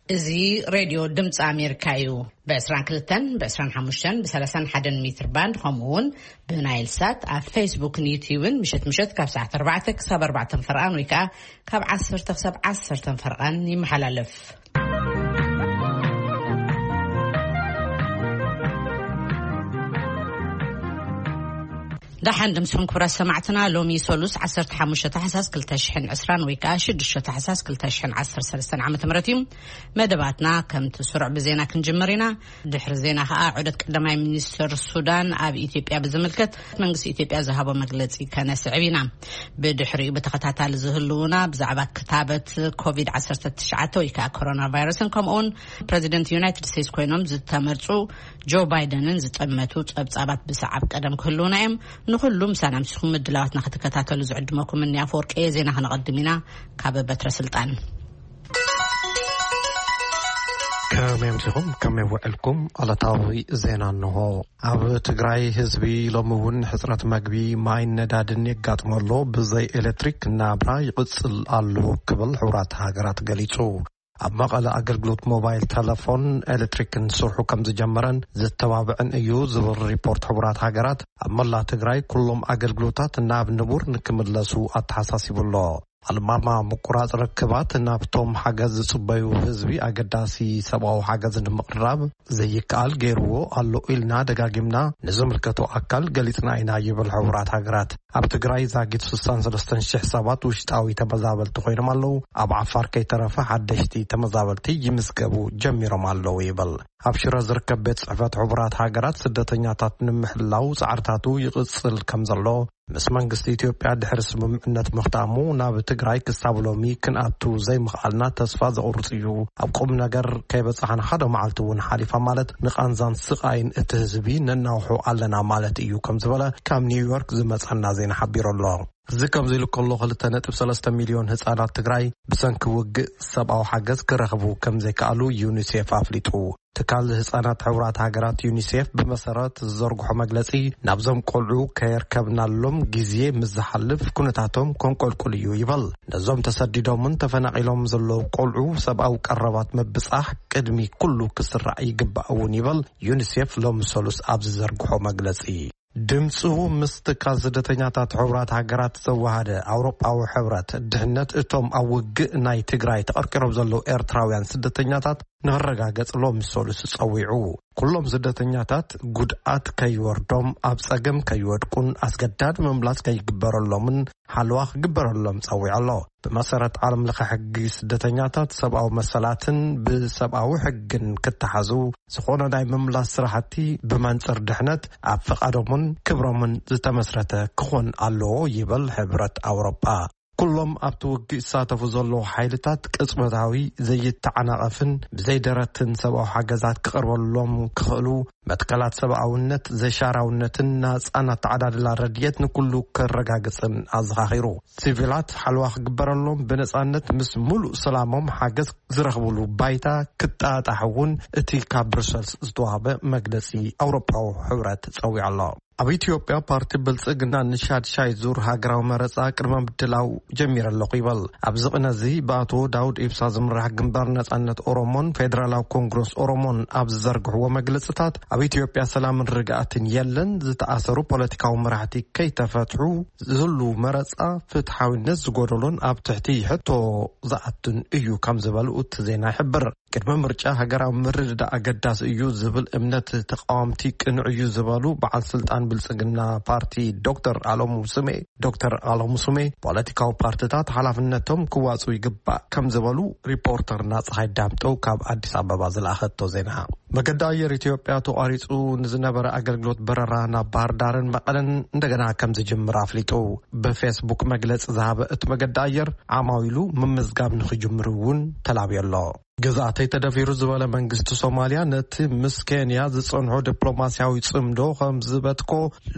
እዚ ሬድዮ ድምፂ ኣሜሪካ እዩ። ብ22፣ ብ25፣ ብ31 ሜትር ባንድ፣ ከምኡ እውን ብናይል ሳት ኣብ ፌስቡክን ዩትዩብን ምሸት ምሸት ካብ ሰዓት ኣርባዕተ ክሳብ ኣርባዕተ ፈርቓን ወይ ከዓ ካብ ዓሰርተ ክሳብ ዓሰርተ ፈርቓን ይመሓላለፍ። ደሓን ድምስኹም ክቡራት ሰማዕትና። ሎሚ ሰሉስ ዓሰርተ ሓሙሽተ ታሕሳስ ክልተ ሽሕን ዕስራን ወይ ከዓ ሽዱሽተ ታሕሳስ ክልተ ሽሕን ዓሰርተ ሰለስተን ዓመተ ምህረት እዩ። መደባትና ከምቲ ስሩዕ ብዜና ክንጅምር ኢና። ድሕሪ ዜና ከዓ ዑደት ቀዳማይ ሚኒስትር ሱዳን ኣብ ኢትዮጵያ ብዝምልከት መንግስቲ ኢትዮጵያ ዝሃቦ መግለጺ ከነስዕብ ኢና። ብድሕሪኡ ብተኸታታሊ ዝህልውና ብዛዕባ ክታበት ኮቪድ ዓሰርተ ትሽዓተ ወይ ከዓ ኮሮና ቫይረስን ከምኡውን ፕሬዚደንት ዩናይትድ ስቴትስ ኮይኖም ዝተመርጹ ጆ ባይደንን ዝጠመቱ ጸብጻባት ብሰዓብ ቀደም ክህልውና እዮም። ንኹሉ ምሳና ምሲኹም ምድላዋትና ክትከታተሉ ዝዕድመኩም እኒ ኣፈወርቂ እየ። ዜና ክነቐድም ኢና። ካብ በትረ ስልጣን። ከመይ ኣምሲኹም፣ ከመይ ውዕልኩም? ዕለታዊ ዜና እንሆ። ኣብ ትግራይ ህዝቢ ሎሚ እውን ሕፅረት መግቢ፣ ማይን ነዳድን የጋጥመሎ። ብዘይ ኤሌክትሪክ ናብራ ይቕፅል ኣሎ ክብል ሕቡራት ሃገራት ገሊፁ። ኣብ መቐለ ኣገልግሎት ሞባይል ተለፎን ኤሌክትሪክን ስርሑ ከም ዝጀመረን ዝተባብዕን እዩ ዝብል ሪፖርት ሕቡራት ሃገራት፣ ኣብ መላእ ትግራይ ኩሎም ኣገልግሎታት ናብ ንቡር ንክምለሱ ኣተሓሳሲቡ ኣሎ። ኣልማማ ምቁራጽ ርክባት ናብቶም ሓገዝ ዝጽበዩ ህዝቢ ኣገዳሲ ሰብኣዊ ሓገዝ ንምቕራብ ዘይከኣል ገይርዎ ኣሎ ኢልና ደጋጊምና ንዝምልከቶ ኣካል ገሊጽና ኢና ይብል ሕቡራት ሃገራት። ኣብ ትግራይ ዛጊት ስሳን ሰለስተን ሽሕ ሰባት ውሽጣዊ ተመዛበልቲ ኮይኖም ኣለዉ። ኣብ ዓፋር ከይተረፈ ሓደሽቲ ተመዛበልቲ ይምዝገቡ ጀሚሮም ኣለዉ ይብል። ኣብ ሽረ ዝርከብ ቤት ጽሕፈት ሕቡራት ሃገራት ስደተኛታት ንምሕላው ጻዕርታቱ ይቕጽል ከም ዘሎ፣ ምስ መንግስቲ ኢትዮጵያ ድሕሪ ስምምዕነት ምኽታሙ ናብ ትግራይ ክሳብ ሎሚ ክንኣቱ ዘይምኽኣልና ተስፋ ዘቑርጽ እዩ። ኣብ ቁም ነገር ከይበጻሕና ሓደ መዓልቲ እውን ሓሊፋ ማለት ንቓንዛን ስቓይን እቲ ህዝቢ ነናውሖ ኣለና ማለት እዩ ከም ዝበለ ካብ ኒውዮርክ ዝመጸና ዜና ሓቢሩ ኣሎ። እዚ ከምዚ ኢሉ ከሎ ክልተ ነጥቢ ሰለስተ ሚልዮን ህጻናት ትግራይ ብሰንኪ ውግእ ሰብኣዊ ሓገዝ ክረኽቡ ከም ዘይከኣሉ ዩኒሴፍ ኣፍሊጡ። ትካል ህጻናት ሕቡራት ሃገራት ዩኒሴፍ ብመሰረት ዝዘርግሖ መግለጺ ናብዞም ቆልዑ ከየርከብናሎም ግዜ ምስ ዝሓልፍ ኩነታቶም ከንቆልቁል እዩ ይበል። ነዞም ተሰዲዶምን ተፈናቒሎም ዘለዉ ቆልዑ ሰብኣዊ ቀረባት ምብጻሕ ቅድሚ ኩሉ ክስራዕ ይግባእ እውን ይበል ዩኒሴፍ ሎሚ ሰሉስ ኣብ ዝዘርግሖ መግለጺ። ድምፁ ምስ ትካል ስደተኛታት ሕቡራት ሃገራት ዘወሃደ ኣውሮጳዊ ሕብረት ድሕነት እቶም ኣብ ውግእ ናይ ትግራይ ተቐርቂሮም ዘለዉ ኤርትራውያን ስደተኛታት ንኽረጋገጽ ሎሚ ሰሉስ ጸዊዑ። ኩሎም ስደተኛታት ጉድኣት ከይወርዶም፣ ኣብ ጸገም ከይወድቁን ኣስገዳድ ምምላስ ከይግበረሎምን ሓለዋ ክግበረሎም ጸዊዑ ኣሎ። ብመሰረት ዓለም ለኸ ሕጊ ስደተኛታት ሰብኣዊ መሰላትን ብሰብኣዊ ሕግን ክተሓዙ ዝኾነ ናይ ምምላስ ስራሕቲ ብመንጽር ድሕነት ኣብ ፍቓዶምን ክብሮምን ዝተመስረተ ክኾን ኣለዎ ይብል ሕብረት ኣውሮጳ። ኩሎም ኣብቲ ውግእ ዝሳተፉ ዘለዉ ሓይልታት ቅጽበታዊ ዘይተዓናቐፍን ብዘይደረትን ሰብኣዊ ሓገዛት ክቐርበሎም ክኽእሉ መትከላት ሰብኣውነት፣ ዘይሻራውነትን ናጻን ኣተዓዳድላ ረድኤት ንኩሉ ከረጋግጽን ኣዘኻኺሩ። ሲቪላት ሓለዋ ክግበረሎም ብነጻነት ምስ ሙሉእ ሰላሞም ሓገዝ ዝረኽብሉ ባይታ ክጣጣሕ እውን እቲ ካብ ብሩሰልስ ዝተዋህበ መግለጺ ኣውሮፓዊ ሕብረት ጸዊዑ ኣሎ። ኣብ ኢትዮጵያ ፓርቲ ብልጽግና ንሻድሻይ ዙር ሃገራዊ መረጻ ቅድመ ምድላው ጀሚረ ኣለኹ ይበል። ኣብዚ ቅነ እዚ ብኣቶ ዳውድ ኢብሳ ዝምራሕ ግንባር ነጻነት ኦሮሞን ፌደራላዊ ኮንግረስ ኦሮሞን ኣብ ዝዘርግሕዎ መግለጽታት ኣብ ኢትዮጵያ ሰላምን ርግኣትን የለን፣ ዝተኣሰሩ ፖለቲካዊ መራሕቲ ከይተፈትሑ ዝህሉ መረጻ ፍትሓዊነት ዝጎደሎን ኣብ ትሕቲ ሕቶ ዝኣቱን እዩ ከም ዝበሉ እቲ ዜና ይሕብር። ቅድሚ ምርጫ ሃገራዊ ምርድዳእ ኣገዳሲ እዩ ዝብል እምነት ተቃወምቲ ቅኑዕ እዩ ዝበሉ በዓል ስልጣን ብልጽግና ፓርቲ ዶክተር ኣለሙ ስሜ፣ ዶክተር ኣለሙ ስሜ ፖለቲካዊ ፓርቲታት ሓላፍነቶም ክዋጹ ይግባእ ከም ዝበሉ ሪፖርተርና ፀሓይ ዳምጠው ካብ ኣዲስ ኣበባ ዝለኣኸቶ ዜና። መገዲ ኣየር ኢትዮጵያ ተቋሪጹ ንዝነበረ ኣገልግሎት በረራ ናብ ባህር ዳርን መቐለን እንደገና ከም ዝጅምር ኣፍሊጡ። ብፌስቡክ መግለጺ ዝሃበ እቲ መገዲ ኣየር ዓማዊሉ ምምዝጋብ ንኽጅምሩ እውን ተላብዮ ኣሎ። ግዝኣተይ ተደፊሩ ዝበለ መንግስቲ ሶማልያ ነቲ ምስ ኬንያ ዝጸንሖ ዲፕሎማስያዊ ጽምዶ ከም ዝበትኮ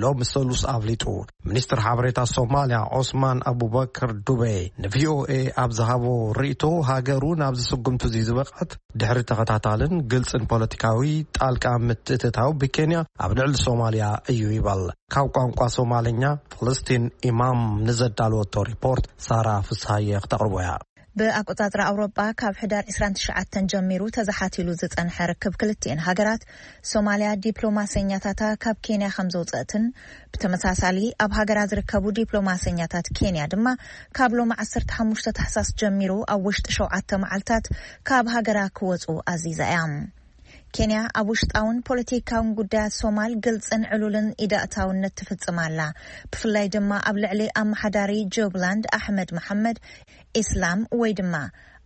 ሎሚ ሰሉስ ኣፍሊጡ። ሚኒስትር ሓበሬታ ሶማልያ ዖስማን ኣቡበከር ዱቤ ንቪኦኤ ኣብ ዝሃቦ ርእይቶ ሃገሩ ናብዚ ስጉምቲ እዚ ዝበቕዐት ድሕሪ ተኸታታልን ግልጽን ፖለቲካዊ ጣልቃ ምትእትታው ብኬንያ ኣብ ልዕሊ ሶማልያ እዩ ይበል። ካብ ቋንቋ ሶማልኛ ፈለስቲን ኢማም ንዘዳለወቶ ሪፖርት ሳራ ፍስሃየ ክተቕርቦ እያ። ብኣቆጻጽራ ኣውሮጳ፣ ካብ ሕዳር ዕስራን ትሽዓተን ጀሚሩ ተዘሓቲሉ ዝጸንሐ ርክብ ክልቲኤን ሃገራት፣ ሶማልያ ዲፕሎማሰኛታታ ካብ ኬንያ ከም ዘውጸእትን፣ ብተመሳሳሊ ኣብ ሃገራ ዝርከቡ ዲፕሎማሰኛታት ኬንያ ድማ ካብ ሎሚ ዓሰርተ ሓሙሽተ ታሕሳስ ጀሚሩ ኣብ ውሽጢ ሸውዓተ መዓልታት ካብ ሃገራ ክወጹ ኣዚዛ እያ። ኬንያ ኣብ ውሽጣውን ፖለቲካውን ጉዳያት ሶማል ግልጽን ዕሉልን ኢዳእታውነት ትፍጽም ኣላ። ብፍላይ ድማ ኣብ ልዕሊ ኣመሓዳሪ ጁብላንድ ኣሕመድ መሓመድ ኢስላም ወይ ድማ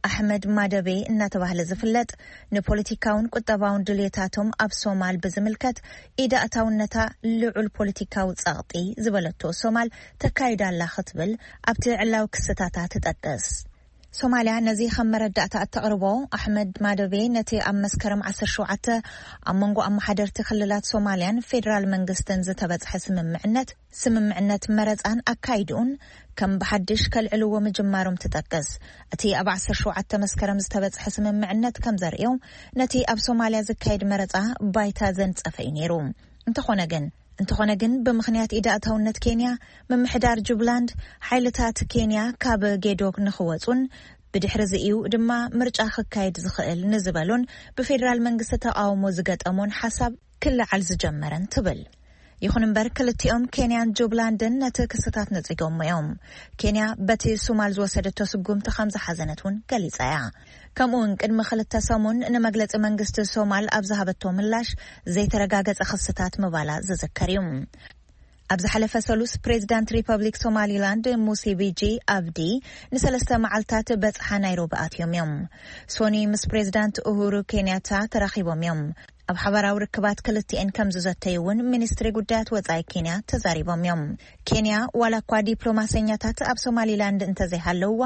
ኣሕመድ ማደቤ እናተባህለ ዝፍለጥ፣ ንፖለቲካውን ቁጠባውን ድልየታቶም ኣብ ሶማል ብዝምልከት ኢዳእታውነታ ልዑል ፖለቲካዊ ጸቕጢ ዝበለቶ ሶማል ተካይዳ ኣላ ክትብል ኣብቲ ዕላዊ ክስታታ ትጠቅስ። ሶማልያ ነዚ ከም መረዳእታ እተቕርቦ፣ ኣሕመድ ማደቤ ነቲ ኣብ መስከረም ዓሰርተ ሸውዓተ ኣብ መንጎ ኣመሓደርቲ ክልላት ሶማልያን ፌደራል መንግስትን ዝተበጽሐ ስምምዕነት፣ ስምምዕነት መረጻን ኣካይድኡን ከም ብሓድሽ ከልዕልዎ ምጅማሮም ትጠቅስ። እቲ ኣብ ዓሰርተ ሸውዓተ መስከረም ዝተበጽሐ ስምምዕነት ከም ዘርእዮ፣ ነቲ ኣብ ሶማልያ ዝካየድ መረጻ ባይታ ዘንጸፈ እዩ ነይሩ። እንተኾነ ግን፣ እንተኾነ ግን፣ ብምኽንያት ኢዳእታውነት ኬንያ፣ ምምሕዳር ጁብላንድ ሓይልታት ኬንያ ካብ ጌዶ ንኽወጹን ብድሕሪ እዚ እዩ ድማ ምርጫ ክካየድ ዝኽእል ንዝበሉን ብፌደራል መንግስቲ ተቃውሞ ዝገጠሞን ሓሳብ ክለዓል ዝጀመረን ትብል። ይኹን እምበር፣ ክልቲኦም ኬንያን ጁብላንድን ነቲ ክስታት ነጺጎሞ እዮም። ኬንያ በቲ ሱማል ዝወሰደቶ ስጉምቲ ከም ዝሓዘነት እውን ገሊጻ እያ። ከምኡ እውን ቅድሚ ክልተ ሰሙን ንመግለጺ መንግስቲ ሶማል ኣብ ዝሃበቶ ምላሽ ዘይተረጋገጸ ክስታት ምባላ ዝዝከር እዩ። ኣብ ዝሓለፈ ሰሉስ ፕሬዚዳንት ሪፐብሊክ ሶማሊላንድ ሙሴ ቢጂ ኣብዲ ንሰለስተ መዓልታት በጽሓ ናይሮቢ ኣትዮም እዮም። ሶኒ ምስ ፕሬዚዳንት ኡሁሩ ኬንያታ ተራኺቦም እዮም። ኣብ ሓበራዊ ርክባት ክልቲኤን ከም ዝዘተዩ እውን ሚኒስትሪ ጉዳያት ወጻኢ ኬንያ ተዛሪቦም እዮም። ኬንያ ዋላ እኳ ዲፕሎማሰኛታት ኣብ ሶማሊላንድ እንተዘይሃለውዋ፣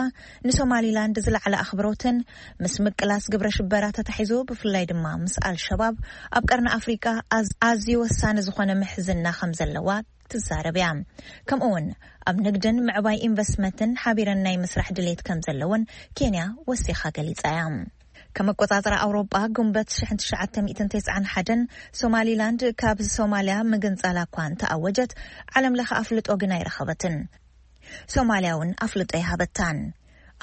ንሶማሊላንድ ዝለዓለ ኣኽብሮትን ምስ ምቅላስ ግብረ ሽበራ ተታሒዙ ብፍላይ ድማ ምስ ኣልሸባብ ኣብ ቀርኒ ኣፍሪቃ ኣዝ- ኣዝዩ ወሳኒ ዝኾነ ምሕዝና ከም ዘለዋ ትዛረብ እያ። ከምኡ እውን ኣብ ንግድን ምዕባይ ኢንቨስትመንትን ሓቢረን ናይ ምስራሕ ድሌት ከም ዘለውን ኬንያ ወሲኻ ገሊጻ እያ። ከም ኣቆጻጽራ ኣውሮጳ፣ ግንቦት ሽሕን ትሽዓተ ሚእትን ተስዓን ሓደን ሶማሊላንድ ካብ ሶማልያ ምግንጻላ እኳ እንተኣወጀት፣ ዓለም ለኸ ኣፍልጦ ግን ኣይረኸበትን። ሶማልያ እውን ኣፍልጦ ይሃበታን።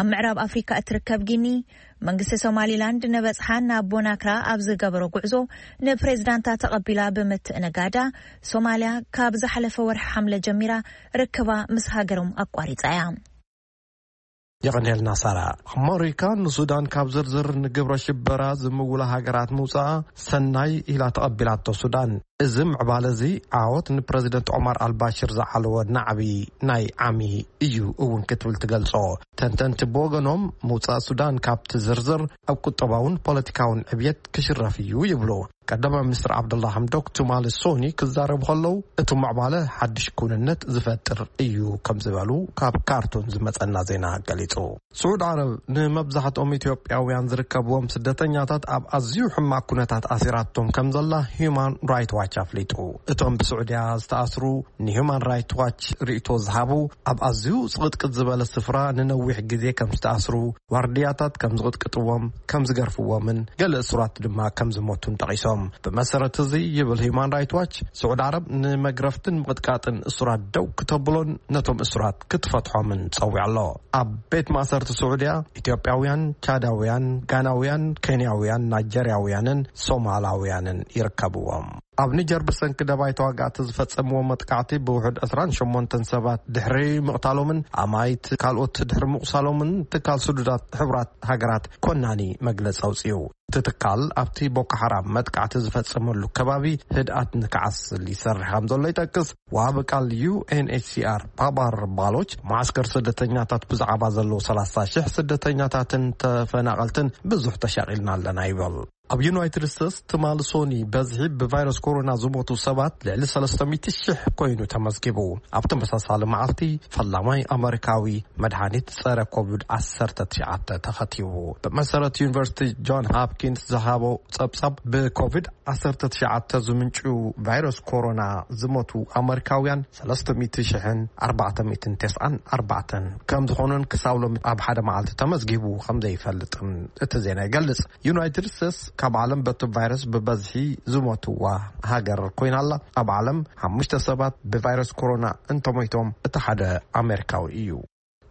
ኣብ ምዕራብ ኣፍሪካ እትርከብ ጊኒ፣ መንግስቲ ሶማሊላንድ ንበጽሓ ናብ ቦናክራ ኣብ ዝገበሮ ጉዕዞ ንፕሬዚዳንታ ተቐቢላ ብምትእንጋዳ፣ ሶማልያ ካብ ዝሓለፈ ወርሒ ሓምለ ጀሚራ ርክባ ምስ ሃገሮም ኣቋሪጻ እያ። የቐንየልና ሳራ። ኣመሪካ ንሱዳን ካብ ዝርዝር ንግብረ ሽበራ ዝምውላ ሃገራት ምውፃኣ ሰናይ ኢላ ተቐቢላቶ ሱዳን። እዚ ምዕባለ እዚ ዓወት ንፕረዚደንት ዑማር ኣልባሽር ዝዓለወ ናዕቢ ናይ ዓሚ እዩ እውን ክትብል ትገልጾ። ተንተንቲ ብወገኖም ምውፃእ ሱዳን ካብቲ ዝርዝር ኣብ ቁጠባውን ፖለቲካውን ዕብየት ክሽረፍ እዩ ይብሉ። ቀዳማይ ሚኒስትር ዓብደላ ሓምዶክ ትማሊ ሶኒ ክዛረቡ ከለዉ እቲ ምዕባለ ሓድሽ ክውንነት ዝፈጥር እዩ ከም ዝበሉ ካብ ካርቱም ዝመጸና ዜና ገሊጹ። ስዑድ ዓረብ ንመብዛሕትኦም ኢትዮጵያውያን ዝርከብዎም ስደተኛታት ኣብ ኣዝዩ ሕማቅ ኩነታት ኣሲራቶም ከም ዘላ ሂዩማን ራይት ዋች ኣፍሊጡ። እቶም ብስዑድያ ዝተኣስሩ ንሂዩማን ራይት ዋች ርእይቶ ዝሃቡ ኣብ ኣዝዩ ጽቕጥቅጥ ዝበለ ስፍራ ንነዊሕ ግዜ ከም ዝተኣስሩ፣ ዋርድያታት ከም ዝቕጥቅጥዎም፣ ከም ዝገርፍዎምን ገለ እሱራት ድማ ከም ዝሞቱን ጠቒሶም። ብመሰረት እዚ ይብል ሂዩማን ራይት ዋች፣ ስዑድ ዓረብ ንመግረፍትን ምቕጥቃጥን እሱራት ደው ክተብሎን ነቶም እሱራት ክትፈትሖምን ጸዊዑ ኣሎ። ኣብ ቤት ማእሰርቲ ስዑድያ ኢትዮጵያውያን፣ ቻዳውያን፣ ጋናውያን፣ ኬንያውያን፣ ናይጀርያውያንን ሶማላውያንን ይርከብዎም። ኣብ ኒጀር ብሰንኪ ደባይ ተዋጋእቲ ዝፈጸምዎ መጥቃዕቲ ብውሑድ ዕስራን ሸሞንተን ሰባት ድሕሪ ምቕታሎምን ኣማይት ካልኦት ድሕሪ ምቑሳሎምን ትካል ስዱዳት ሕቡራት ሃገራት ኮናኒ መግለጺ ኣውጺኡ። እቲ ትካል ኣብቲ ቦኮ ሓራም መጥቃዕቲ ዝፈጸመሉ ከባቢ ህድኣት ንክዓስል ይሰርሕ ከም ዘሎ ይጠቅስ። ወሃቢ ቃል ዩ ኤን ኤች ሲ ኣር ባባር ባሎች፣ መዓስከር ስደተኛታት ብዛዕባ ዘለዉ ሰላሳ ሽሕ ስደተኛታትን ተፈናቐልትን ብዙሕ ተሻቒልና ኣለና ይብል። ኣብ ዩናይትድ ስቴትስ ትማሊ ሶኒ በዝሒ ብቫይረስ ኮሮና ዝሞቱ ሰባት ልዕሊ ሰለስተ ሚእቲ ሽሕ ኮይኑ ተመዝጊቡ። ኣብ ተመሳሳሊ መዓልቲ ፈላማይ ኣመሪካዊ መድሃኒት ጸረ ኮቪድ ዓሰርተ ትሽዓተ ተኸቲቡ። ብመሰረት ዩኒቨርሲቲ ጆን ሃፕኪንስ ዝሃቦ ጸብጻብ፣ ብኮቪድ ዓሰርተ ትሽዓተ ዝምንጩ ቫይረስ ኮሮና ዝሞቱ ኣመሪካውያን ሰለስተ ሚእቲ ሽሕን ኣርባዕተ ሚእትን ተስዓን ኣርባዕተን ከም ዝኾኑን ክሳብ ሎሚ ኣብ ሓደ መዓልቲ ተመዝጊቡ ከም ዘይፈልጥን እቲ ዜና ይገልጽ። ዩናይትድ ስቴትስ ካብ ዓለም በቲ ቫይረስ ብበዝሒ ዝሞትዋ ሃገር ኮይና ኣላ። ኣብ ዓለም ሓሙሽተ ሰባት ብቫይረስ ኮሮና እንተሞይቶም እቲ ሓደ ኣሜሪካዊ እዩ።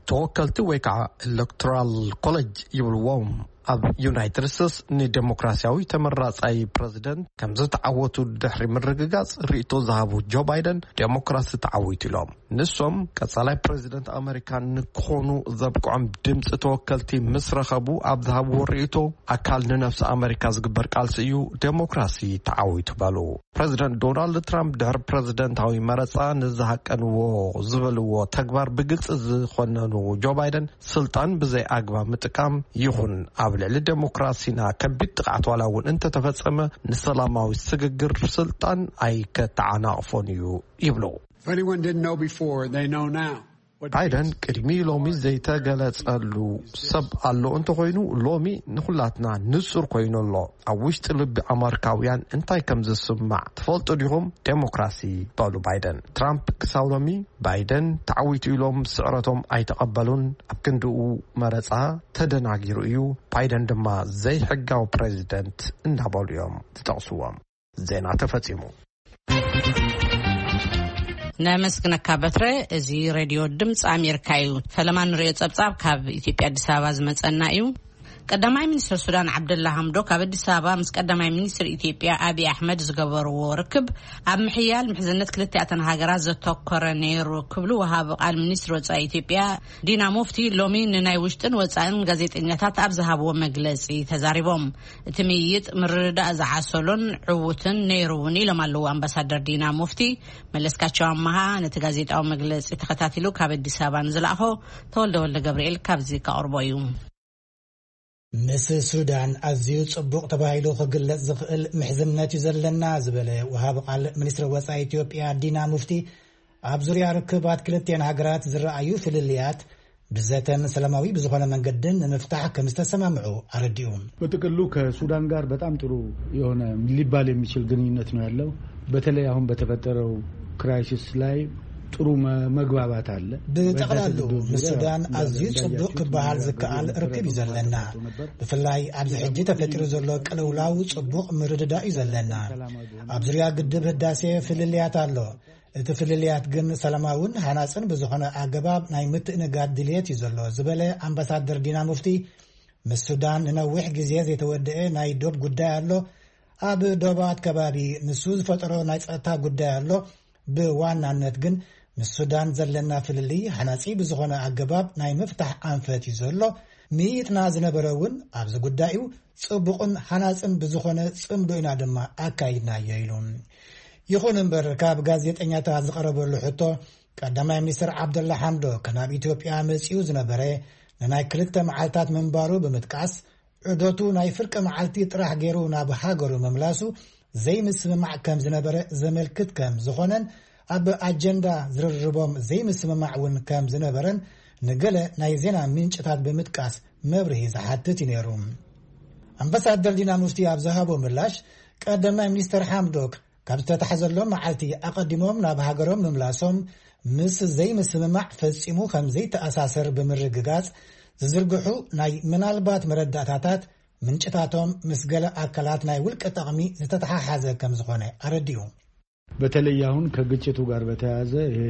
ተወከልቲ ወይ ከዓ ኤሌክቶራል ኮሌጅ ይብልዎም ኣብ ዩናይትድ ስቴትስ ንዴሞክራሲያዊ ተመራጻይ ፕረዚደንት ከም ዝተዓወቱ ድሕሪ ምርግጋጽ ርእይቶ ዝሃቡ ጆ ባይደን ዴሞክራሲ ተዓዊቱ ኢሎም። ንሶም ቀጻላይ ፕረዚደንት ኣመሪካ ንክኾኑ ዘብቅዖም ድምፂ ተወከልቲ ምስ ረኸቡ ኣብ ዝሃብዎ ርእይቶ ኣካል ንነፍሲ ኣመሪካ ዝግበር ቃልሲ እዩ፣ ዴሞክራሲ ተዓዊቱ በሉ። ፕረዚደንት ዶናልድ ትራምፕ ድሕሪ ፕረዚደንታዊ መረጻ ንዝሃቀንዎ ዝበልዎ ተግባር ብግልጺ ዝኾነኑ ጆ ባይደን ስልጣን ብዘይ ኣግባብ ምጥቃም ይኹን ኣብ ልዕሊ ዴሞክራሲና ከቢድ ጥቕዓት ዋላ እውን እንተተፈጸመ ንሰላማዊ ስግግር ስልጣን ኣይከተዓናቕፎን እዩ ይብሉ። If anyone didn't know before, they know now. What ባይደን ቅድሚ ሎሚ ዘይተገለጸሉ ሰብ ኣሎ እንተኾይኑ ሎሚ ንኹላትና ንጹር ኮይኑ ኣሎ። ኣብ ውሽጢ ልቢ ኣመሪካውያን እንታይ ከም ዝስማዕ ትፈልጡ ዲኹም? ዴሞክራሲ በሉ ባይደን። ትራምፕ ክሳብ ሎሚ ባይደን ተዓዊቱ ኢሎም ስዕረቶም ኣይተቐበሉን። ኣብ ክንድኡ መረጻ ተደናጊሩ እዩ። ባይደን ድማ ዘይሕጋዊ ፕረዚደንት እናበሉ እዮም ዝጠቕስዎም። ዜና ተፈጺሙ። ነመስግነካ በትረ። እዚ ሬድዮ ድምፂ ኣሜሪካ እዩ። ፈለማ ንሪኦ ፀብፃብ ካብ ኢትዮጵያ ኣዲስ ኣበባ ዝመፀና እዩ። ቀዳማይ ሚኒስትር ሱዳን ዓብደላ ሐምዶክ ኣብ ኣዲስ ኣበባ ምስ ቀዳማይ ሚኒስትር ኢትዮጵያ ኣብይ ኣሕመድ ዝገበርዎ ርክብ ኣብ ምሕያል ምሕዝነት ክልቲኣተን ሃገራት ዘተኮረ ነይሩ ክብሉ ወሃቢ ቃል ሚኒስትር ወፃኢ ኢትዮጵያ ዲና ሙፍቲ ሎሚ ንናይ ውሽጥን ወፃእን ጋዜጠኛታት ኣብ ዝሃብዎ መግለፂ ተዛሪቦም። እቲ ምይይጥ ምርድዳእ ዝዓሰሎን ዕዉትን ነይሩ እውን ኢሎም ኣለዉ ኣምባሳደር ዲና ሙፍቲ። መለስካቸው ኣመሃ ነቲ ጋዜጣዊ መግለፂ ተኸታቲሉ ካብ ኣዲስ ኣበባ ንዝለኣኾ ተወልደ ወልደ ገብርኤል ካብዚ ከቕርቦ እዩ። ምስ ሱዳን ኣዝዩ ጽቡቕ ተባሂሉ ክግለጽ ዝኽእል ምሕዝነት እዩ ዘለና ዝበለ ወሃቢ ቃል ሚኒስትሪ ወጻኢ ኢትዮጵያ ዲና ሙፍቲ፣ ኣብ ዙርያ ርክባት ክልቲአን ሃገራት ዝረኣዩ ፍልልያት ብዘተን ሰላማዊ ብዝኾነ መንገድን ንምፍታሕ ከም ዝተሰማምዑ ኣረዲኡ። በጥቅሉ ከሱዳን ጋር በጣም ጥሩ የሆነ ሊባል የሚችል ግንኙነት ነው ያለው። በተለይ አሁን በተፈጠረው ክራይሲስ ላይ ጥሩ መ-፣ መግባባት አለ። ብጠቕላሉ ምስ ሱዳን ኣዝዩ ጽቡቕ ክበሃል ዝከኣል ርክብ እዩ ዘለና። ብፍላይ ኣብዚ ሕጂ ተፈጢሩ ዘሎ ቅልውላው ጽቡቕ ምርድዳእ እዩ ዘለና። ኣብ ዙርያ ግድብ ህዳሴ ፍልልያት ኣሎ። እቲ ፍልልያት ግን ሰላማውን ሃናጽን ብዝኾነ ኣገባብ ናይ ምትእንጋድ ድልየት እዩ ዘሎ ዝበለ ኣምባሳደር ዲና ሙፍቲ፣ ምስ ሱዳን ንነዊሕ ግዜ ዘይተወደኤ ናይ ዶብ ጉዳይ ኣሎ። ኣብ ዶባት ከባቢ ንሱ ዝፈጠሮ ናይ ጸጥታ ጉዳይ ኣሎ። ብዋናነት ግን ምስ ሱዳን ዘለና ፍልልይ ሃናጺ ብዝኾነ ኣገባብ ናይ ምፍታሕ ኣንፈት እዩ ዘሎ። ምይይጥና ዝነበረ እውን ኣብዚ ጉዳይ እዩ። ጽቡቕን ሃናጽን ብዝኾነ ጽምዶ ኢና ድማ ኣካይድናዮ ኢሉ። ይኹን እምበር ካብ ጋዜጠኛታት ዝቐረበሉ ሕቶ ቀዳማይ ሚኒስትር ዓብደላ ሓምዶክ ናብ ኢትዮጵያ መጺኡ ዝነበረ ንናይ ክልተ መዓልታት ምንባሩ ብምጥቃስ ዑደቱ ናይ ፍርቂ መዓልቲ ጥራሕ ገይሩ ናብ ሃገሩ ምምላሱ ዘይምስምማዕ ከም ዝነበረ ዘመልክት ከም ዝኾነን ኣብ ኣጀንዳ ዝርርቦም ዘይምስምማዕ እውን ከም ዝነበረን ንገለ ናይ ዜና ምንጭታት ብምጥቃስ መብርሂ ዝሓትት እዩ ነይሩ። ኣምባሳደር ዲና ሙፍቲ ኣብ ዝሃቦ ምላሽ ቀዳማይ ሚኒስትር ሓምዶክ ካብ ዝተታሕዘሎም መዓልቲ ኣቐዲሞም ናብ ሃገሮም ምምላሶም ምስ ዘይምስምማዕ ፈጺሙ ከም ዘይተኣሳሰር ብምርግጋጽ ዝዝርግሑ ናይ ምናልባት መረዳእታታት ምንጭታቶም ምስ ገለ ኣካላት ናይ ውልቀ ጠቕሚ ዝተተሓሓዘ ከም ዝኾነ ኣረዲኡ። በተለይ አሁን ከግጭቱ ጋር በተያያዘ ይሄ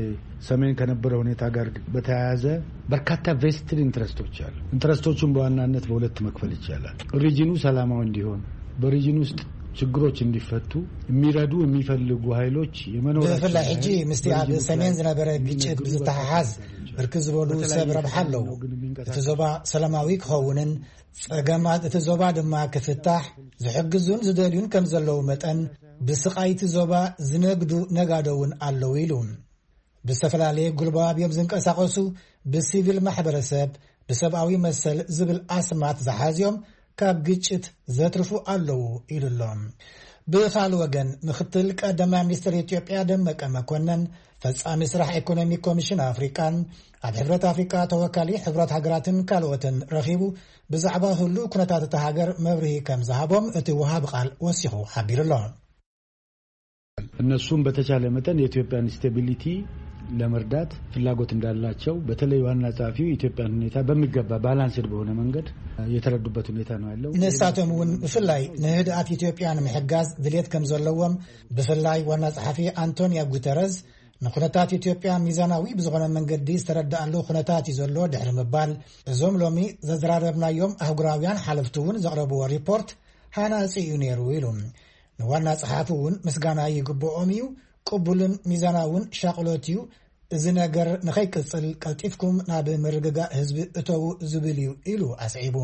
ሰሜን ከነበረ ሁኔታ ጋር በተያያዘ በርካታ ቬስትድ ኢንትረስቶች አሉ። ኢንትረስቶቹን በዋናነት በሁለት መክፈል ይቻላል። ሪጅኑ ሰላማዊ እንዲሆን፣ በሪጅን ውስጥ ችግሮች እንዲፈቱ የሚረዱ የሚፈልጉ ኃይሎች የመኖራቸው ብፍላይ ሕጂ ምስቲ ኣብ ሰሜን ዝነበረ ግጭት ብዝተሓሓዝ ብርክት ዝበሉ ሰብ ረብሓ ኣለዉ። እቲ ዞባ ሰላማዊ ክኸውንን ጸገማት እቲ ዞባ ድማ ክፍታሕ ዝሕግዙን ዝደልዩን ከም ዘለዉ መጠን ብስቓይ እቲ ዞባ ዝነግዱ ነጋዶ እውን ኣለዉ ኢሉ። ብዝተፈላለየ ጉልባብ እዮም ዝንቀሳቐሱ፣ ብሲቪል ማሕበረሰብ፣ ብሰብኣዊ መሰል ዝብል ኣስማት ዝሓዝዮም ካብ ግጭት ዘትርፉ ኣለዉ ኢሉ ኣሎ። ብኻል ወገን ምክትል ቀዳማይ ሚኒስትር ኢትዮጵያ ደመቀ መኮነን ፈጻሚ ስራሕ ኢኮኖሚ ኮሚሽን ኣፍሪቃን ኣብ ሕብረት ኣፍሪቃ ተወካሊ ሕብረት ሃገራትን ካልኦትን ረኺቡ ብዛዕባ ህሉው ኩነታት እታ ሃገር መብርሂ ከም ዝሃቦም እቲ ወሃቢ ቃል ወሲኹ ሓቢሩ ኣሎ። እነሱም በተቻለ መጠን የኢትዮጵያን ስቴቢሊቲ ለመርዳት ፍላጎት እንዳላቸው በተለይ ዋና ጸሐፊው የኢትዮጵያን ሁኔታ በሚገባ ባላንስድ በሆነ መንገድ የተረዱበት ሁኔታ ነው ያለው። ንሳቶም እውን ብፍላይ ንህድኣት ኢትዮጵያ ንምሕጋዝ ድሌት ከም ዘለዎም ብፍላይ ዋና ጸሐፊ ኣንቶኒዮ ጉተረዝ ንኩነታት ኢትዮጵያ ሚዛናዊ ብዝኾነ መንገዲ ዝተረዳኣሉ ኩነታት እዩ ዘሎ ድሕሪ ምባል፣ እዞም ሎሚ ዘዘራረብናዮም ኣህጉራውያን ሓለፍቲ እውን ዘቕረብዎ ሪፖርት ሃናጺ እዩ ነይሩ ኢሉ። ንዋና ጸሓፊ እውን ምስጋና ይግብኦም እዩ፣ ቅቡልን ሚዛናውን ሻቕሎት እዩ። እዚ ነገር ንኸይቅጽል ቀልጢፍኩም ናብ ምርግጋእ ህዝቢ እተዉ ዝብል እዩ ኢሉ ኣስዒቡ።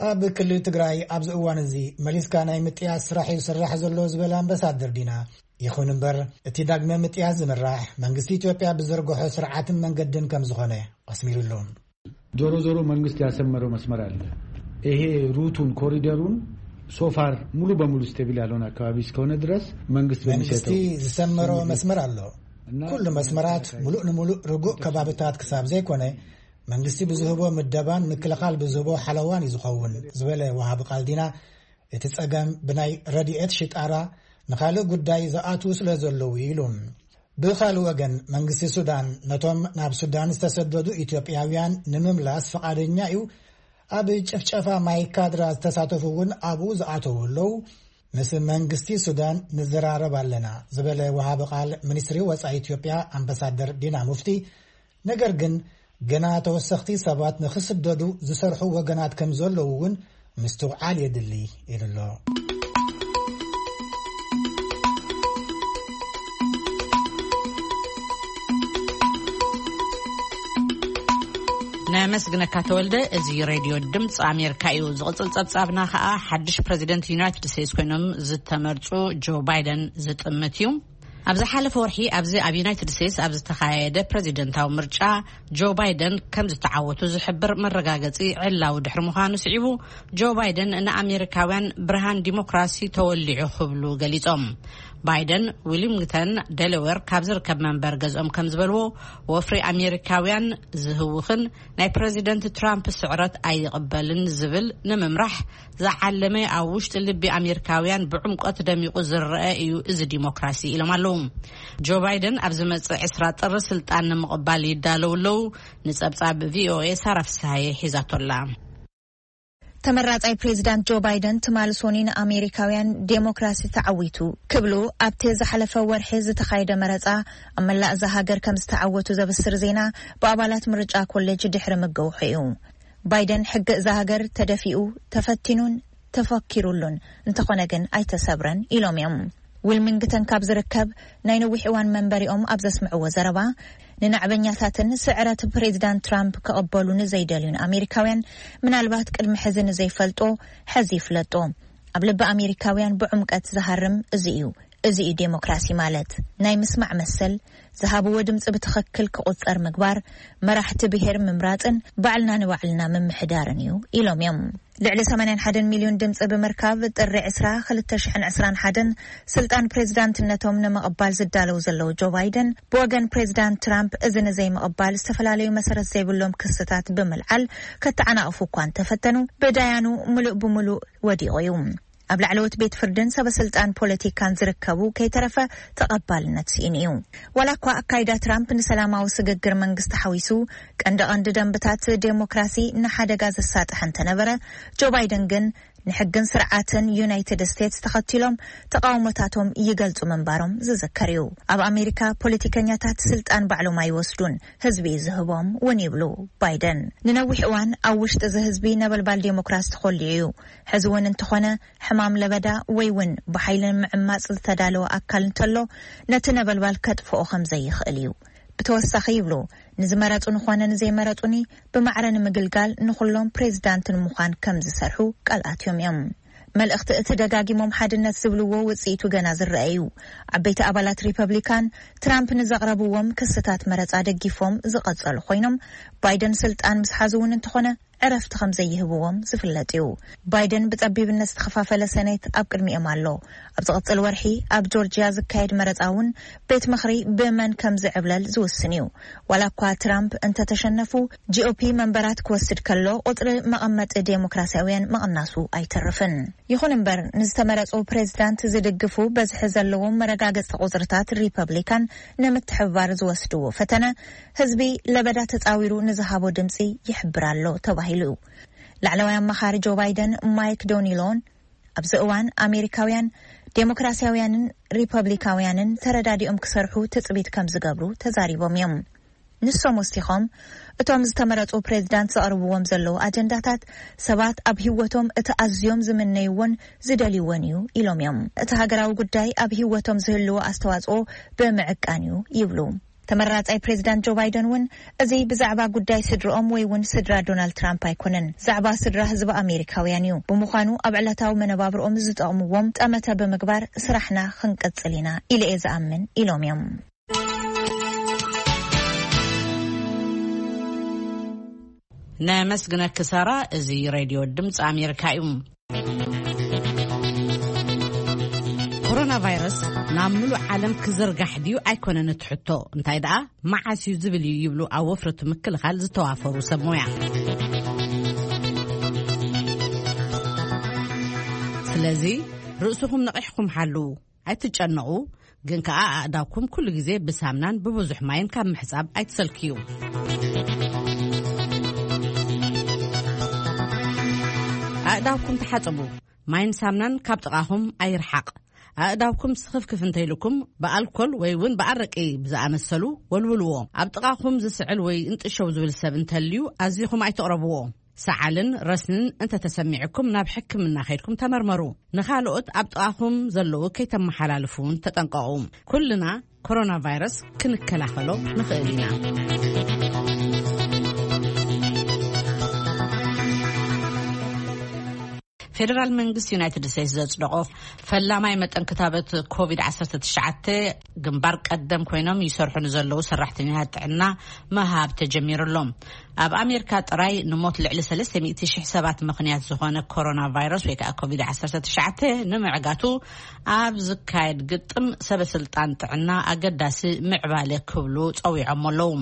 ኣብ ክልል ትግራይ ኣብዚ እዋን እዚ መሊስካ ናይ ምጥያስ ስራሕ እዩ ዝስራሕ ዘሎ ዝበለ ኣምባሳደር ዲና፣ ይኹን እምበር እቲ ዳግመ ምጥያስ ዝምራሕ መንግስቲ ኢትዮጵያ ብዘርግሖ ስርዓትን መንገድን ከም ዝኾነ ኣስሚሩሉ። ዞሮ ዞሮ መንግስት ያሰመረው መስመር አለ። ይሄ ሩቱን ኮሪደሩን ሶፋር ሙሉ በሙሉ ስቴብል ያልሆነ አካባቢ እስከሆነ ድረስ መንግስት መንግስቲ በሚሰጠው ዝሰመሮ መስመር ኣሎ። ኩሉ መስመራት ሙሉእ ንሙሉእ ርጉእ ከባብታት ክሳብ ዘይኮነ መንግስቲ ብዝህቦ ምደባን ምክልኻል ብዝህቦ ሓለዋን እዩ ዝኸውን ዝበለ ወሃቢ ቃል ዲና፣ እቲ ጸገም ብናይ ረድኤት ሽጣራ ንኻልእ ጉዳይ ዝኣትዉ ስለ ዘለዉ ኢሉ። ብኻልእ ወገን መንግስቲ ሱዳን ነቶም ናብ ሱዳን ዝተሰደዱ ኢትዮጵያውያን ንምምላስ ፈቓደኛ እዩ። ኣብ ጭፍጨፋ ማይ ካድራ ዝተሳተፉ እውን ኣብኡ ዝኣተዉ ኣለዉ። ምስ መንግስቲ ሱዳን ንዘራረብ ኣለና ዝበለ ወሃቢ ቃል ሚኒስትሪ ወጻኢ ኢትዮጵያ ኣምባሳደር ዲና ሙፍቲ፣ ነገር ግን ገና ተወሰኽቲ ሰባት ንኽስደዱ ዝሰርሑ ወገናት ከም ዘለዉ እውን ምስትውዓል የድሊ ኢሉ ኣሎ። ነመስግነካ ተወልደ። እዚ ሬድዮ ድምፂ ኣሜሪካ እዩ። ዝቕፅል ፀብፃብና ከዓ ሓድሽ ፕሬዚደንት ዩናይትድ ስቴትስ ኮይኖም ዝተመርፁ ጆ ባይደን ዝጥምት እዩ። ኣብ ዝሓለፈ ወርሒ ኣብዚ ኣብ ዩናይትድ ስቴትስ ኣብ ዝተኻየደ ፕሬዚደንታዊ ምርጫ ጆ ባይደን ከም ዝተዓወቱ ዝሕብር መረጋገፂ ዕላዊ ድሕሪ ምዃኑ ስዒቡ፣ ጆ ባይደን ንኣሜሪካውያን ብርሃን ዲሞክራሲ ተወሊዑ ክብሉ ገሊጾም። ባይደን ዊሊምግተን ደለዌር ካብ ዝርከብ መንበር ገዝኦም ከም ዝበልዎ፣ ወፍሪ ኣሜሪካውያን ዝህውኽን ናይ ፕሬዚደንት ትራምፕ ስዕረት ኣይቕበልን ዝብል ንምምራሕ ዝዓለመ ኣብ ውሽጢ ልቢ ኣሜሪካውያን ብዕምቆት ደሚቑ ዝረአ እዩ እዚ ዲሞክራሲ ኢሎም ኣለዉ። ጆ ባይደን ኣብ ዝመጽእ ዕስራ ጥሪ ስልጣን ንምቕባል ይዳለዉ ኣለዉ። ንጸብጻብ ቪኦኤ ሳራ ፍስሃየ ሒዛቶላ። ተመራጻይ ፕሬዚዳንት ጆ ባይደን ትማሊ ሶኒ ንኣሜሪካውያን ዴሞክራሲ ተዓዊቱ ክብሉ ኣብቲ ዝሓለፈ ወርሒ ዝተኻየደ መረጻ ኣብ መላእ እዛ ሃገር ከም ዝተዓወቱ ዘብስር ዜና ብኣባላት ምርጫ ኮሌጅ ድሕሪ ምግውሑ እዩ። ባይደን ሕጊ እዛ ሃገር ተደፊኡ፣ ተፈቲኑን ተፈኪሩሉን፣ እንተኾነ ግን ኣይተሰብረን ኢሎም እዮም። ዊልሚንግተን ካብ ዝርከብ ናይ ነዊሕ እዋን መንበሪኦም ኣብ ዘስምዕዎ ዘረባ፣ ንናዕበኛታትን ስዕረት ፕሬዚዳንት ትራምፕ ክቕበሉ ንዘይደልዩን ኣሜሪካውያን ምናልባት ቅድሚ ሕዚ ንዘይፈልጦ ሕዚ ይፍለጦ። ኣብ ልቢ ኣሜሪካውያን ብዕምቀት ዝሃርም እዚ እዩ። እዚ እዩ ዴሞክራሲ ማለት። ናይ ምስማዕ መሰል፣ ዝሃብዎ ድምፂ ብትኽክል ክቑፀር ምግባር፣ መራሕቲ ብሄር ምምራፅን ባዕልና ንባዕልና ምምሕዳርን እዩ ኢሎም እዮም። ልዕሊ ሰማንያን ሓደን ሚልዮን ድምፂ ብምርካብ ጥሪ ዕስራ ክልተ ሽሕን ዕስራን ሓደን ስልጣን ፕሬዚዳንትነቶም ንምቕባል ዝዳለው ዘለዉ ጆ ባይደን፣ ብወገን ፕሬዚዳንት ትራምፕ እዚ ንዘይምቕባል ዝተፈላለዩ መሰረት ዘይብሎም ክስታት ብምልዓል ከተዓናቕፉ እኳ እንተፈተኑ፣ ብዳያኑ ምሉእ ብምሉእ ወዲቑ እዩ። ኣብ ላዕለዎት ቤት ፍርድን ሰበ ስልጣን ፖለቲካን ዝርከቡ ከይተረፈ ተቐባልነት ስኢኑ እዩ። ዋላ እኳ ኣካይዳ ትራምፕ ንሰላማዊ ስግግር መንግስቲ ሓዊሱ ቀንዲ ቀንዲ ደንብታት ዴሞክራሲ ንሓደጋ ዘሳጥሐ እንተነበረ፣ ጆ ባይደን ግን ንሕግን ስርዓትን ዩናይትድ ስቴትስ ተኸቲሎም ተቃውሞታቶም ይገልጹ ምንባሮም ዝዝከር እዩ። ኣብ ኣሜሪካ ፖለቲከኛታት ስልጣን ባዕሎም ኣይወስዱን፣ ህዝቢ እዩ ዝህቦም እውን ይብሉ ባይደን። ንነዊሕ እዋን ኣብ ውሽጢ እዚ ህዝቢ ነበልባል ዴሞክራሲ ተኾልዩ እዩ። ሕዚ እውን እንተኾነ ሕማም ለበዳ ወይ እውን ብሓይሊ ንምዕማጽ ዝተዳለወ ኣካል እንተሎ ነቲ ነበልባል ከጥፍኦ ከም ዘይኽእል እዩ። ብተወሳኺ ይብሉ፣ ንዝመረጹኒ ኾነ ንዘይመረጹኒ ብማዕረ ንምግልጋል ንኹሎም ፕሬዚዳንት ንምዃን ከም ዝሰርሑ ቃል ኣትዮም እዮም። መልእኽቲ እቲ ደጋጊሞም ሓድነት ዝብልዎ ውጽኢቱ ገና ዝረአ እዩ። ዓበይቲ ኣባላት ሪፐብሊካን ትራምፕ ንዘቕረብዎም ክስታት መረጻ ደጊፎም ዝቐጸሉ ኮይኖም፣ ባይደን ስልጣን ምስ ሓዙ እውን እንተኾነ ዕረፍቲ ከም ዘይህብዎም ዝፍለጥ እዩ። ባይደን ብጸቢብነት ዝተኸፋፈለ ሰኔት ኣብ ቅድሚኦም ኣሎ። ኣብ ዝቕጽል ወርሒ ኣብ ጆርጂያ ዝካየድ መረጻ እውን ቤት ምኽሪ ብመን ከም ዝዕብለል ዝውስን እዩ። ዋላ እኳ ትራምፕ እንተተሸነፉ፣ ጂኦፒ መንበራት ክወስድ ከሎ ቁጽሪ መቐመጢ ዴሞክራሲያውያን ምቕናሱ ኣይተርፍን። ይኹን እምበር፣ ንዝተመረጹ ፕሬዚዳንት ዝድግፉ በዝሒ ዘለዎም መረጋገጽቲ ቁጽርታት ሪፐብሊካን ንምትሕብባር ዝወስድዎ ፈተነ፣ ህዝቢ ለበዳ ተጻዊሩ ንዝሃቦ ድምጺ ይሕብር ኣሎ ተባሂሉ። ላዕለዋይ ኣማኻሪ ጆ ባይደን ማይክ ዶኒሎን ኣብዚ እዋን ኣሜሪካውያን ዴሞክራሲያውያንን ሪፐብሊካውያንን ተረዳዲኦም ክሰርሑ ትጽቢት ከም ዝገብሩ ተዛሪቦም እዮም። ንሶም ወሲኾም፣ እቶም ዝተመረጹ ፕሬዚዳንት ዘቕርብዎም ዘለዉ ኣጀንዳታት ሰባት ኣብ ህይወቶም እቲ ኣዝዮም ዝምነይዎን ዝደልይዎን እዩ ኢሎም እዮም። እቲ ሃገራዊ ጉዳይ ኣብ ህይወቶም ዝህልዎ ኣስተዋጽኦ ብምዕቃን እዩ ይብሉ። ተመራጻይ ፕሬዚዳንት ጆ ባይደን እውን፣ እዚ ብዛዕባ ጉዳይ ስድርኦም ወይ እውን ስድራ ዶናልድ ትራምፕ ኣይኮነን፣ ዛዕባ ስድራ ህዝቢ ኣሜሪካውያን እዩ። ብምዃኑ ኣብ ዕለታዊ መነባብርኦም ዝጠቕምዎም ጠመተ ብምግባር ስራሕና ክንቅጽል ኢና ኢለ እየ ዝኣምን ኢሎም እዮም። ነመስግነኪ ሳራ። እዚ ሬድዮ ድምፂ ኣሜሪካ እዩ። ኮሮና ቫይረስ ናብ ምሉእ ዓለም ክዝርጋሕ ድዩ ኣይኮነን እቲ ሕቶ፣ እንታይ ደኣ መዓስ እዩ ዝብል እዩ ይብሉ ኣብ ወፍሪ እቲ ምክልኻል ዝተዋፈሩ ሰብ ሞያ። ስለዚ ርእስኹም ነቒሕኩም ሓልዉ። ኣይትጨነቑ፣ ግን ከኣ ኣእዳውኩም ኩሉ ግዜ ብሳምናን ብብዙሕ ማይን ካብ ምሕጻብ ኣይትሰልክዩ። ኣእዳውኩም ተሓጸቡ። ማይን ሳምናን ካብ ጥቓኹም ኣይርሓቕ። ኣእዳውኩም ስኽፍክፍ እንተይልኩም ብኣልኮል ወይ እውን ብኣረቂ ብዝኣመሰሉ ወልውልዎ። ኣብ ጥቓኹም ዝስዕል ወይ እንጥሸው ዝብል ሰብ እንተልዩ ኣዚኹም ኣይትቕረብዎ። ሰዓልን ረስንን እንተተሰሚዕኩም ናብ ሕክምና ከይድኩም ተመርመሩ። ንኻልኦት ኣብ ጥቓኹም ዘለዉ ከይተመሓላልፉ እውን ተጠንቀቑ። ኩልና ኮሮና ቫይረስ ክንከላኸሎ ንኽእል ኢና። ፌደራል መንግስቲ ዩናይትድ ስቴትስ ዘጽደቖ ፈላማይ መጠን ክታበት ኮቪድ ዓሰርተ ትሽዓተ ግንባር ቀደም ኮይኖም ይሰርሑ ንዘለዉ ሰራሕተኛታት ጥዕና ምሃብ ተጀሚሩ ኣሎ። ኣብ ኣሜሪካ ጥራይ ንሞት ልዕሊ ሰለስተ ሚእቲ ሽሕ ሰባት ምኽንያት ዝኾነ ኮሮና ቫይረስ ወይ ከዓ ኮቪድ ዓሰርተ ትሽዓተ ንምዕጋቱ ኣብ ዝካየድ ግጥም ሰበ ስልጣን ጥዕና ኣገዳሲ ምዕባለ ክብሉ ጸዊዖም ኣለዉ።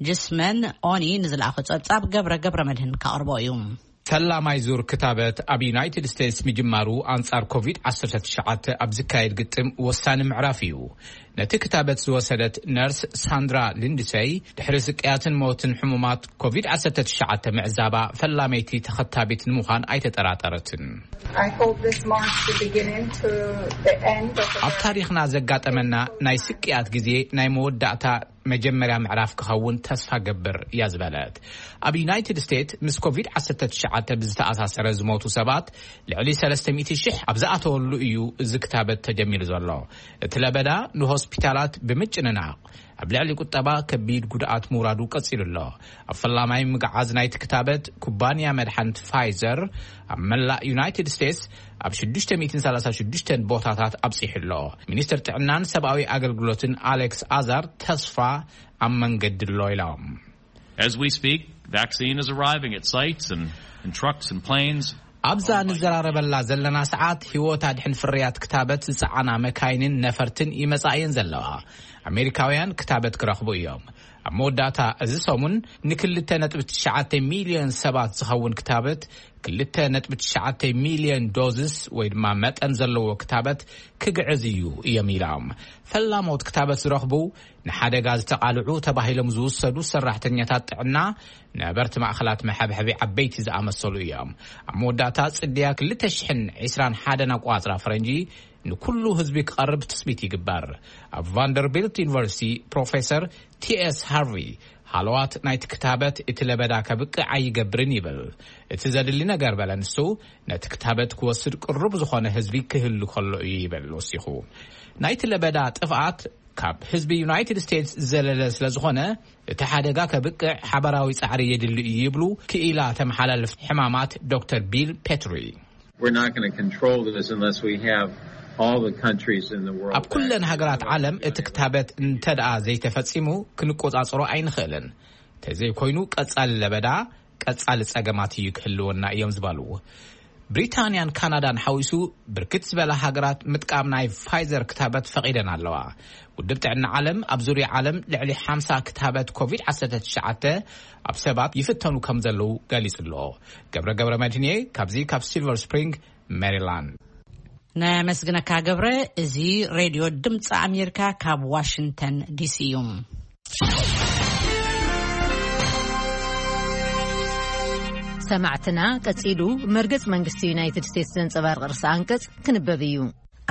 ጅስመን ኦኒ ንዝለኣኾ ጸብጻብ ገብረ ገብረ መድህን ካቕርቦ እዩ። ፈላማይ ዙር ክታበት ኣብ ዩናይትድ ስቴትስ ምጅማሩ ኣንጻር ኮቪድ ዓሰርተ ትሽዓተ ኣብ ዝካየድ ግጥም ወሳኒ ምዕራፍ እዩ። ነቲ ክታበት ዝወሰደት ነርስ ሳንድራ ሊንድሰይ፣ ድሕሪ ስቅያትን ሞትን ሕሙማት ኮቪድ ዓሰርተ ትሽዓተ ምዕዛባ፣ ፈላመይቲ ተኸታቢት ንምዃን ኣይተጠራጠረትን። I hope this marks the beginning to the end of the ኣብ ታሪኽና ዘጋጠመና ናይ ስቅያት ግዜ ናይ መወዳእታ መጀመርያ ምዕራፍ ክኸውን ተስፋ ገብር እያ ዝበለት። ኣብ ዩናይትድ ስቴትስ ምስ ኮቪድ ዓሰርተ ትሽዓተ ብዝተኣሳሰረ ዝሞቱ ሰባት ልዕሊ ሰለስተ ሚእቲ ሽሕ ኣብ ዝኣተወሉ እዩ እዚ ክታበት ተጀሚሩ ዘሎ። እቲ ለበዳ ንሆስፒታላት ብምጭንናቕ ኣብ ልዕሊ ቁጠባ ከቢድ ጉድኣት ምውራዱ ቀጺሉ ኣሎ። ኣብ ፈላማይ ምግዓዝ ናይቲ ክታበት ኩባንያ መድሓኒት ፋይዘር ኣብ መላእ ዩናይትድ ስቴትስ ኣብ ሽዱሽተ ሚእትን ሰላሳ ሽዱሽተን ቦታታት ኣብጺሑ ኣሎ። ሚኒስትር ጥዕናን ሰብኣዊ ኣገልግሎትን ኣሌክስ ኣዛር ተስፋ ኣብ መንገዲ ኣሎ ኢሎም። As we speak, vaccine is arriving at sites and, and trucks and planes. ኣብዛ ንዘራረበላ ዘለና ሰዓት ህይወት ኣድሕን ፍርያት ክታበት ዝጸዓና መካይንን ነፈርትን ይመጻ እየን ዘለዋ። ኣሜሪካውያን ክታበት ክረኽቡ እዮም። ኣብ መወዳእታ እዚ ሰሙን ንክልተ ነጥቢ ትሽዓተ ሚልዮን ሰባት ዝኸውን ክታበት፣ ክልተ ነጥቢ ትሽዓተ ሚልዮን ዶዝስ ወይ ድማ መጠን ዘለዎ ክታበት ክግዕዝ እዩ እዮም ኢሎም። ፈላሞት ክታበት ዝረኽቡ ንሓደጋ ዝተቓልዑ ተባሂሎም ዝውሰዱ ሰራሕተኛታት ጥዕና፣ ነበርቲ ማእኸላት መሐብሐቢ ዓበይቲ ዝኣመሰሉ እዮም። ኣብ መወዳእታ ጽድያ ክልተ ሽሕን ዕስራን ሓደን ኣቋጽራ ፈረንጂ ንኩሉ ህዝቢ ክቐርብ ትጽቢት ይግበር። ኣብ ቫንደርቢልት ዩኒቨርሲቲ ፕሮፌሰር ቲ ኤስ ሃርቪ፣ ሃለዋት ናይቲ ክታበት እቲ ለበዳ ከብቅዕ ኣይገብርን ይብል። እቲ ዘድሊ ነገር በለ ንሱ፣ ነቲ ክታበት ክወስድ ቅሩብ ዝኾነ ህዝቢ ክህሉ ከሎ እዩ ይብል ወሲኹ። ናይቲ ለበዳ ጥፍኣት ካብ ህዝቢ ዩናይትድ ስቴትስ ዝዘለለ ስለ ዝኾነ፣ እቲ ሓደጋ ከብቅዕ ሓበራዊ ጻዕሪ የድሊ እዩ ይብሉ ክኢላ ተመሓላለፍቲ ሕማማት ዶክተር ቢል ፔትሪ። We're not going to control this unless we have all the countries in the world ኣብ ኩለን vaccinated. ሃገራት ዓለም እቲ ክታበት እንተ ደኣ ዘይተፈጺሙ ክንቆጻጸሮ ኣይንኽእልን። ተዘይኮይኑ ቀጻሊ ለበዳ፣ ቀጻሊ ጸገማት እዩ ክህልወና እዮም ዝበሉ። ብሪታንያን ካናዳን ሓዊሱ ብርክት ዝበላ ሃገራት ምጥቃም ናይ ፋይዘር ክታበት ፈቒደን ኣለዋ። ውድብ ጥዕና ዓለም ኣብ ዙርያ ዓለም ልዕሊ ሓምሳ ክታበት ኮቪድ ዓሰርተ ትሽዓተ ኣብ ሰባት ይፍተኑ ከም ዘለዉ ገሊጹ ኣሎ። ገብረ ገብረ መድህንየ ካብዚ ካብ ሲልቨር ስፕሪንግ ሜሪላንድ። ነመስግነካ ገብረ። እዚ ሬድዮ ድምፂ ኣሜሪካ ካብ ዋሽንግተን ዲሲ እዩ። ሰማዕትና፣ ቀጺሉ መርገጽ መንግስቲ ዩናይትድ ስቴትስ ዘንጸባርቕ ርእሰ ኣንቀጽ ክንበብ እዩ።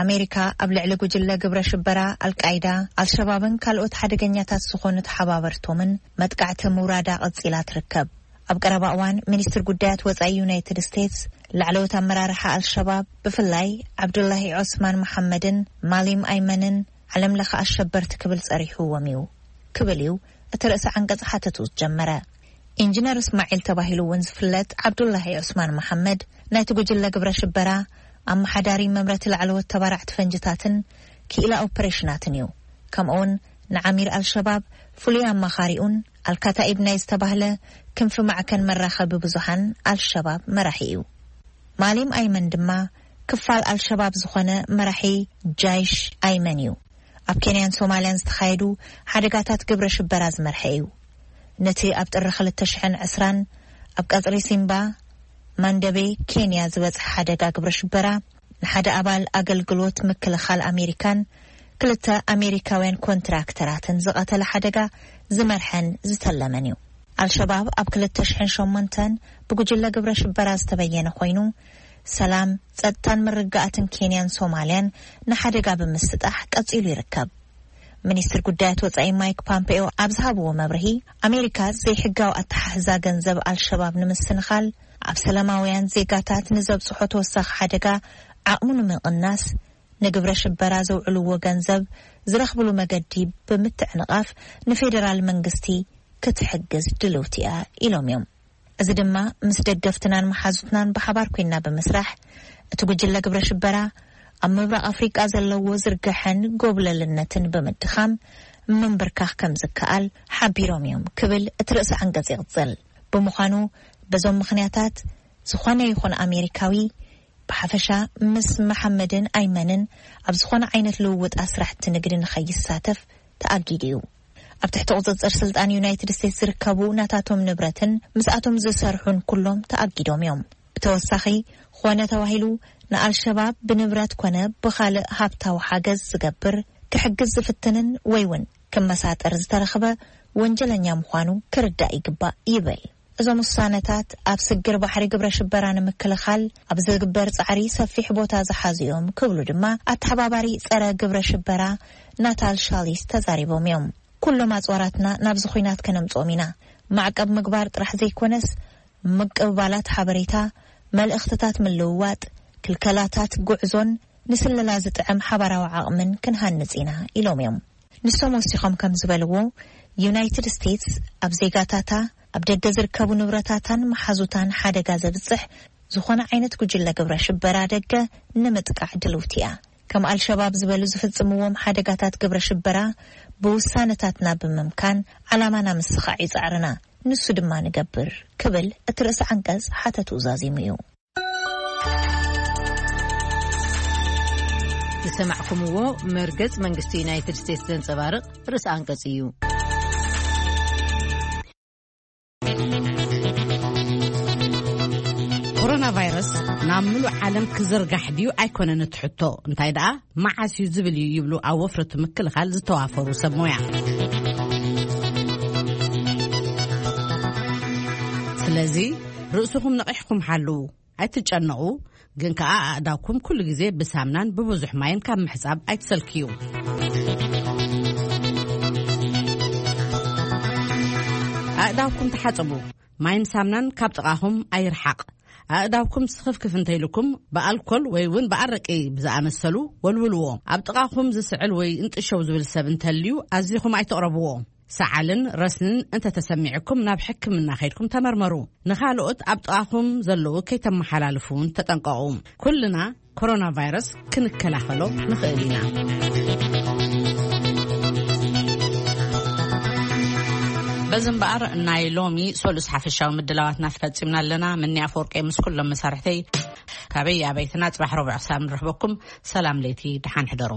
ኣሜሪካ ኣብ ልዕሊ ጉጅለ ግብረ ሽበራ ኣልቃይዳ፣ ኣልሸባብን ካልኦት ሓደገኛታት ዝኾኑ ተሓባበርቶምን መጥቃዕቲ ምውራዳ ቀጺላ ትርከብ። ኣብ ቀረባ እዋን፣ ሚኒስትር ጉዳያት ወጻኢ ዩናይትድ ስቴትስ፣ ላዕለዎት ኣመራርሓ ኣልሸባብ፣ ብፍላይ ዓብዱላሂ ዖስማን መሓመድን ማሊም ኣይመንን፣ ዓለም ለኸ ኣሸበርቲ ክብል ጸሪሕዎም እዩ፣ ክብል እዩ እቲ ርእሰ ዓንቀጽ ሓተቱ ዝጀመረ። ኢንጂነር እስማዒል ተባሂሉ እውን ዝፍለጥ ዓብዱላሂ ዑስማን መሓመድ፣ ናይቲ ጉጅለ ግብረ ሽበራ ኣመሓዳሪ፣ መምረቲ ላዕለዎት ተባራዕቲ ፈንጅታትን ክኢላ ኦፐሬሽናትን እዩ። ከምኡውን ንዓሚር ኣልሸባብ ፍሉይ ኣማኻሪኡን ኣልካታኢብ ናይ ዝተባህለ ክንፊ ማዕከን መራኸቢ ብዙሃን ኣልሸባብ መራሒ እዩ። ማሊም ኣይመን ድማ ክፋል ኣልሸባብ ዝኾነ መራሒ ጃይሽ ኣይመን እዩ። ኣብ ኬንያን ሶማልያን ዝተኻየዱ ሓደጋታት ግብረ ሽበራ ዝመርሐ እዩ። ነቲ ኣብ ጥሪ ክልተ ሽሕን ዕስራን ኣብ ቀጽሪ ሲምባ ማንደቤ ኬንያ ዝበጽሐ ሓደጋ ግብረ ሽበራ፣ ንሓደ ኣባል ኣገልግሎት ምክልኻል ኣሜሪካን ክልተ ኣሜሪካውያን ኮንትራክተራትን ዝቐተለ ሓደጋ ዝመርሐን ዝተለመን እዩ። ኣልሸባብ ኣብ ክልተ ሽሕን ሸሞንተን ብጉጅለ ግብረ ሽበራ ዝተበየነ ኮይኑ፣ ሰላም፣ ጸጥታን ምርግጋእን ኬንያን ሶማልያን ንሓደጋ ብምስጣሕ ቀጺሉ ይርከብ። ሚኒስትር ጉዳያት ወጻኢ ማይክ ፖምፔዮ ኣብ ዝሃብዎ መብርሂ፣ ኣሜሪካ ዘይሕጋዊ ኣተሓሕዛ ገንዘብ ኣልሸባብ ንምስንኻል፣ ኣብ ሰላማውያን ዜጋታት ንዘብጽሖ ተወሳኺ ሓደጋ ዓቕሙ ንምቕናስ፣ ንግብረ ሽበራ ዘውዕልዎ ገንዘብ ዝረኽብሉ መገዲ ብምትዕንቓፍ ንፌደራል መንግስቲ ክትሕግዝ ድልውቲ እያ ኢሎም እዮም። እዚ ድማ ምስ ደገፍትናን መሓዙትናን ብሓባር ኮይና ብምስራሕ፣ እቲ ጉጅለ ግብረ ሽበራ ኣብ ምብራቕ ኣፍሪቃ ዘለዎ ዝርግሐን ጎብለልነትን ብምድኻም ምንብርካኽ ከም ዝከኣል ሓቢሮም እዮም ክብል እቲ ርእሰ ዓንቀጽ ይቕጽል። ብምዃኑ፣ በዞም ምኽንያታት ዝኾነ ይኹን ኣሜሪካዊ ብሓፈሻ ምስ መሓመድን ኣይመንን ኣብ ዝኾነ ዓይነት ልውውጥ ኣስራሕቲ ንግዲ ንኸይሳተፍ ተኣጊዱ እዩ። ኣብ ትሕቲ ቁጽጽር ስልጣን ዩናይትድ ስቴትስ ዝርከቡ ናታቶም ንብረትን ምስኣቶም ዝሰርሑን ኩሎም ተኣጊዶም እዮም። ብተወሳኺ፣ ኾነ ተባሂሉ ንኣልሸባብ ብንብረት ኮነ ብኻልእ ሃብታዊ ሓገዝ ዝገብር፣ ክሕግዝ ዝፍትንን ወይ እውን ክመሳጠር ዝተረኽበ ወንጀለኛ ምዃኑ ክርዳእ ይግባእ ይብል። እዞም ውሳነታት ኣብ ስግር ባሕሪ ግብረ ሽበራ ንምክልኻል ኣብ ዝግበር ጻዕሪ ሰፊሕ ቦታ ዝሓዙ እዮም ክብሉ ድማ ኣተሓባባሪ ጸረ ግብረ ሽበራ ናታል ሻሊስ ተዛሪቦም እዮም። ኩሎም ኣጽዋራትና ናብዚ ኹናት ከነምጽኦም ኢና። ማዕቀብ ምግባር ጥራሕ ዘይኮነስ፣ ምቅብባላት ሓበሬታ፣ መልእኽትታት ምልውዋጥ፣ ክልከላታት ጉዕዞን ንስለላ ዝጥዕም ሓባራዊ ዓቕምን ክንሃንጽ ኢና ኢሎም እዮም። ንሶም ወሲኾም ከም ዝበልዎ፣ ዩናይትድ ስቴትስ ኣብ ዜጋታታ፣ ኣብ ደገ ዝርከቡ ንብረታታን መሓዙታን ሓደጋ ዘብጽሕ ዝኾነ ዓይነት ጉጅለ ግብረ ሽበራ ደገ ንምጥቃዕ ድልውቲ እያ። ከም ኣልሸባብ ዝበሉ ዝፍጽምዎም ሓደጋታት ግብረ ሽበራ ብውሳነታትና ብምምካን ዓላማና ምስኻዕ እዩ ጻዕርና። ንሱ ድማ ንገብር ክብል እቲ ርእሰ ዓንቀጽ ሓተቱ ዛዚሙ እዩ። ዝሰማዕኩምዎ መርገጽ መንግስቲ ዩናይትድ ስቴትስ ዘንጸባርቕ ርእሰ ኣንቀጽ እዩ። ኮሮና ቫይረስ ናብ ምሉእ ዓለም ክዝርጋሕ ድዩ ኣይኮነን እቲ ሕቶ፣ እንታይ ደኣ መዓስ እዩ ዝብል እዩ ይብሉ ኣብ ወፍሪ ምክልኻል ዝተዋፈሩ ሰብ ሞያ። ስለዚ ርእስኹም ነቒሕኩም ሓልዉ። ኣይትጨነቑ፣ ግን ከኣ ኣእዳውኩም ኩሉ ግዜ ብሳምናን ብብዙሕ ማይን ካብ ምሕጻብ ኣይትሰልክዩ። ኣእዳውኩም ተሓጸቡ። ማይን ሳምናን ካብ ጥቓኹም ኣይርሓቕ። ኣእዳውኩም ስኽፍክፍ እንተኢልኩም ብኣልኮል ወይ እውን ብኣረቂ ብዝኣመሰሉ ወልውልዎ። ኣብ ጥቓኹም ዝስዕል ወይ እንጥሸው ዝብል ሰብ እንተልዩ ኣዚኹም ኣይትቕረብዎ። ሰዓልን ረስንን እንተተሰሚዕኩም ናብ ሕክምና ከይድኩም ተመርመሩ። ንኻልኦት ኣብ ጥቓኹም ዘለዉ ከይተመሓላልፉ እውን ተጠንቀቑ። ኩልና ኮሮና ቫይረስ ክንከላኸሎ ንኽእል ኢና። በዚ እምበኣር ናይ ሎሚ ሰሉስ ሓፈሻዊ ምድላዋትና ፈጺምና ኣለና። ምኒ ኣፈወርቂ ምስ ኩሎም መሳርሕተይ ካበይ ኣበይትና ጽባሕ ረቡዕ ክሳብ ንረኽበኩም ሰላም ለይቲ፣ ደሓን ሕደሩ።